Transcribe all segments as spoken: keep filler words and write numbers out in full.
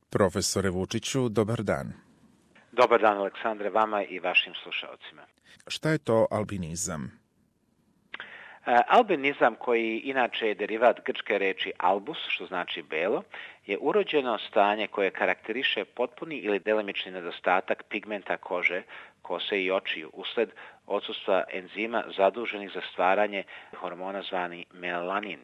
Profesore Vučiću, dobar dan. Dobar dan, Aleksandre, vama i vašim slušalcima. Šta je to albinizam? Albinizam, koji inače je derivat grčke reči albus, što znači belo, je urođeno stanje koje karakteriše potpuni ili delimični nedostatak pigmenta kože, kose i očiju usled odsustva enzima zaduženih za stvaranje hormona zvani melanin.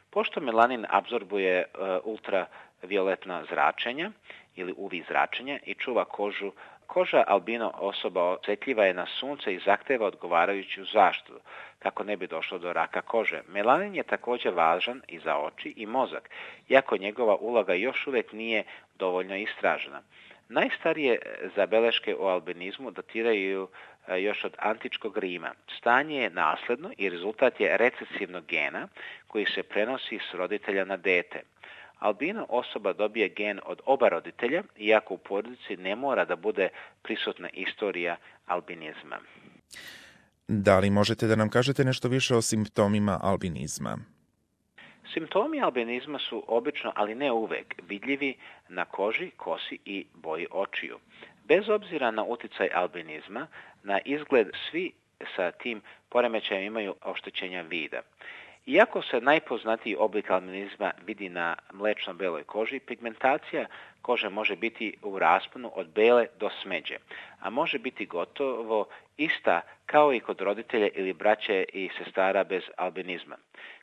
Pošto melanin apsorbuje ultravioletna zračenja ili U V zračenja i čuva kožu, koža albino osoba osjetljiva je na sunce i zahteva odgovarajuću zaštitu kako ne bi došlo do raka kože. Melanin je također važan i za oči i mozak, iako njegova uloga još uvijek nije dovoljno istražena. Najstarije zabeleške o albinizmu datiraju još od antičkog Rima. Stanje je nasljedno i rezultat je recesivnog gena koji se prenosi s roditelja na dete. Albino osoba dobije gen od oba roditelja, iako u porodici ne mora da bude prisutna istorija albinizma. Da li možete da nam kažete nešto više o simptomima albinizma? Simptomi albinizma su obično, ali ne uvek, vidljivi na koži, kosi i boji očiju. Bez obzira na utjecaj albinizma, na izgled svi sa tim poremećajem imaju oštećenja vida. Iako se najpoznatiji oblik albinizma vidi na mlečno-beloj koži, pigmentacija kože može biti u rasponu od bele do smeđe, a može biti gotovo ista kao i kod roditelja ili braće i sestara bez albinizma.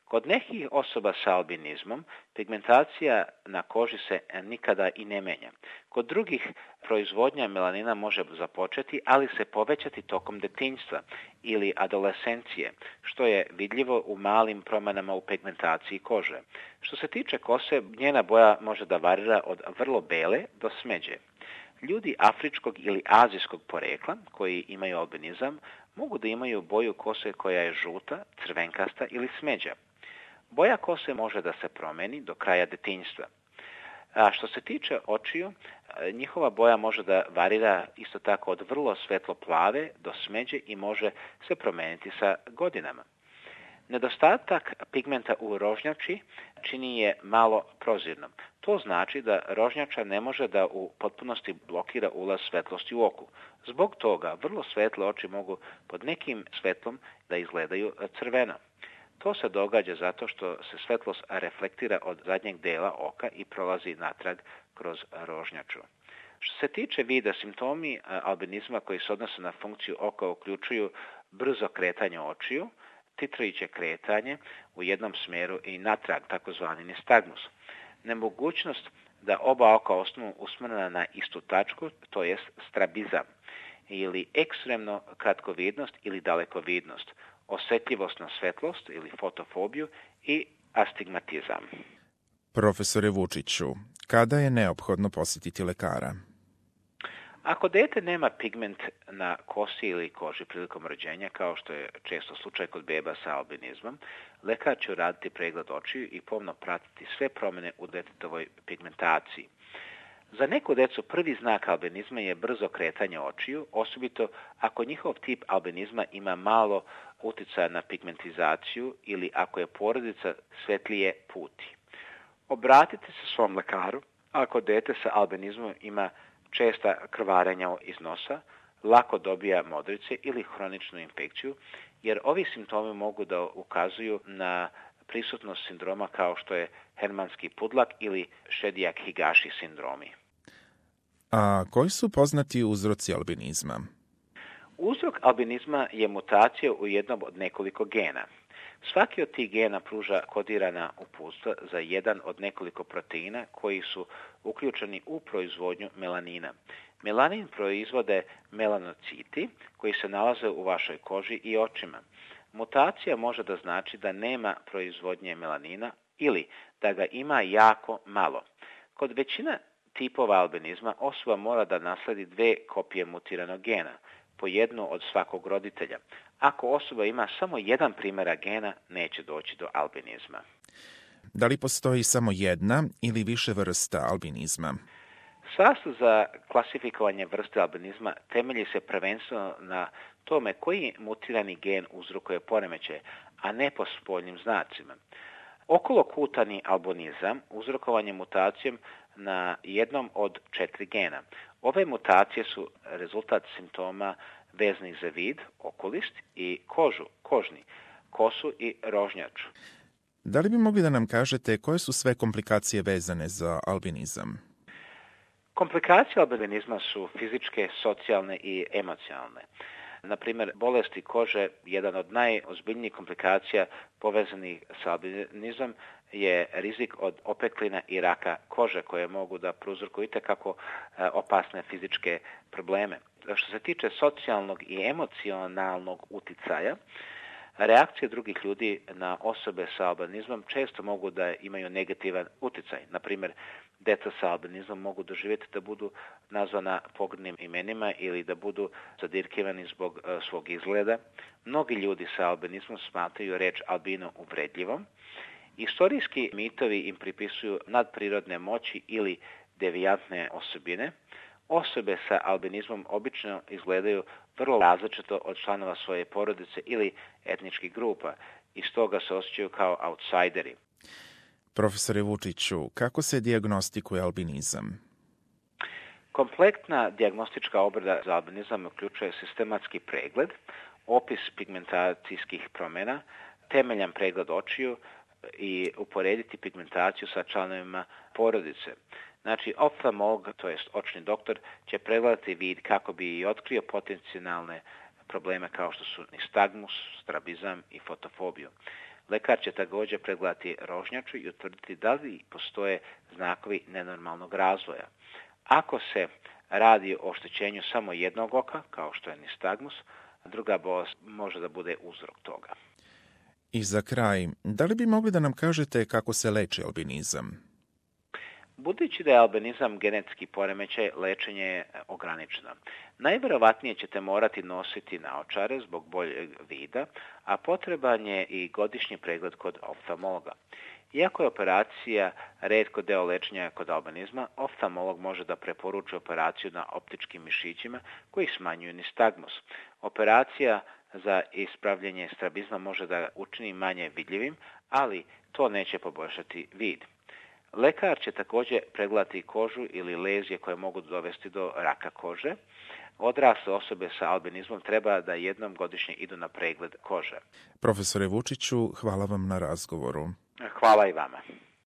Kod nekih osoba sa albinizmom pigmentacija na koži se nikada i ne menja. Kod drugih proizvodnja melanina može započeti, ali se povećati tokom detinjstva ili adolescencije, što je vidljivo u malim promjenama u pigmentaciji kože. Što se tiče kose, njena boja može da varira od vrlo bele do smeđe. Ljudi afričkog ili azijskog porekla koji imaju albinizam mogu da imaju boju kose koja je žuta, crvenkasta ili smeđa. Boja kose može da se promeni do kraja detinjstva. A što se tiče očiju, njihova boja može da varira isto tako od vrlo svetlo plave do smeđe i može se promeniti sa godinama. Nedostatak pigmenta u rožnjači čini je malo prozirnom. To znači da rožnjača ne može da u potpunosti blokira ulaz svetlosti u oku. Zbog toga vrlo svetle oči mogu pod nekim svetlom da izgledaju crveno. To se događa zato što se svetlost reflektira od zadnjeg dela oka i prolazi natrag kroz rožnjaču. Što se tiče vida, simptomi albinizma koji se odnose na funkciju oka uključuju brzo kretanje očiju, titrajuće kretanje u jednom smjeru i natrag, takozvani nistagmus. Nemogućnost da oba oka ostanu usmjerena na istu tačku, to jest strabizam, ili ekstremno kratkovidnost ili dalekovidnost, osjetljivost na svetlost ili fotofobiju i astigmatizam. Profesore Vučiću, kada je neophodno posjetiti lekara? Ako dete nema pigment na kosi ili koži prilikom rođenja, kao što je često slučaj kod beba sa albinizmom, lekar će uraditi pregled očiju i pomno pratiti sve promjene u detetovoj pigmentaciji. Za neku decu prvi znak albinizma je brzo kretanje očiju, osobito ako njihov tip albinizma ima malo utjecaja na pigmentizaciju ili ako je porodica svetlije puti. Obratite se svom lekaru ako dete sa albinizmom ima česta krvarenja iz nosa, lako dobija modrice ili hroničnu infekciju, jer ovi simptomi mogu da ukazuju na prisutnost sindroma kao što je Hermanski pudlak ili Šedijak-Higaši sindromi. A koji su poznati uzroci albinizma? Uzrok albinizma je mutacija u jednom od nekoliko gena. Svaki od tih gena pruža kodirana uputstva za jedan od nekoliko proteina koji su uključeni u proizvodnju melanina. Melanin proizvode melanociti koji se nalaze u vašoj koži i očima. Mutacija može da znači da nema proizvodnje melanina ili da ga ima jako malo. Kod većina tipova albinizma osoba mora da nasledi dve kopije mutiranog gena, po jednu od svakog roditelja. Ako osoba ima samo jedan primjerak gena, neće doći do albinizma. Da li postoji samo jedna ili više vrsta albinizma? Sastav za klasifikovanje vrste albinizma temelji se prvenstveno na tome koji mutirani gen uzrokuje poremećaje, a ne po spoljnim znacima. Okolokutani albinizam uzrokovan je mutacijom na jednom od četiri gena. Ove mutacije su rezultat simptoma vezanih za vid, okulist i kožu, kožni, kosu i rožnjaču. Da li bi mogli da nam kažete koje su sve komplikacije vezane za albinizam? Komplikacije albinizma su fizičke, socijalne i emocionalne. Na primjer, bolesti kože, jedan od najozbiljnijih komplikacija povezanih sa albinizmom je rizik od opeklina i raka kože koje mogu da prouzrokuju itekako opasne fizičke probleme. Što se tiče socijalnog i emocionalnog uticaja, reakcije drugih ljudi na osobe sa albinizmom često mogu da imaju negativan uticaj. Na primjer, deca sa albinizmom mogu doživjeti da budu nazvana pogrdnim imenima ili da budu zadirkivani zbog uh, svog izgleda. Mnogi ljudi sa albinizmom smatraju reč albino uvredljivom. Istorijski mitovi im pripisuju nadprirodne moći ili devijantne osobine. Osobe sa albinizmom obično izgledaju vrlo različito od članova svoje porodice ili etničkih grupa i stoga se osjećaju kao outsideri. Profesore Vučiću, kako se dijagnostikuje albinizam? Kompletna dijagnostička obrada za albinizam uključuje sistematski pregled, opis pigmentacijskih promjena, temeljan pregled očiju i uporediti pigmentaciju sa članovima porodice. Znači, oftalmolog, to jest očni doktor, će pregledati vid kako bi i otkrio potencijalne probleme kao što su nistagmus, strabizam i fotofobiju. Lekar će također pregledati rožnjaču i utvrditi da li postoje znakovi nenormalnog razvoja. Ako se radi o oštećenju samo jednog oka, kao što je nistagmus, druga bolest može da bude uzrok toga. I za kraj, da li bi mogli da nam kažete kako se leči albinizam? Budući da je albinizam genetski poremećaj, lečenje je ograničeno. Najvjerovatnije ćete morati nositi naočare zbog boljeg vida, a potreban je i godišnji pregled kod oftalmologa. Iako je operacija retko deo lečenja kod albinizma, oftalmolog može da preporuči operaciju na optičkim mišićima koji smanjuju nistagmus. Operacija za ispravljanje strabizma može da učini manje vidljivim, ali to neće poboljšati vid. Lekar će također pregledati kožu ili lezije koje mogu dovesti do raka kože. Odrasle osobe sa albinizmom treba da jednom godišnje idu na pregled kože. Profesore Vučiću, hvala vam na razgovoru. Hvala i vama.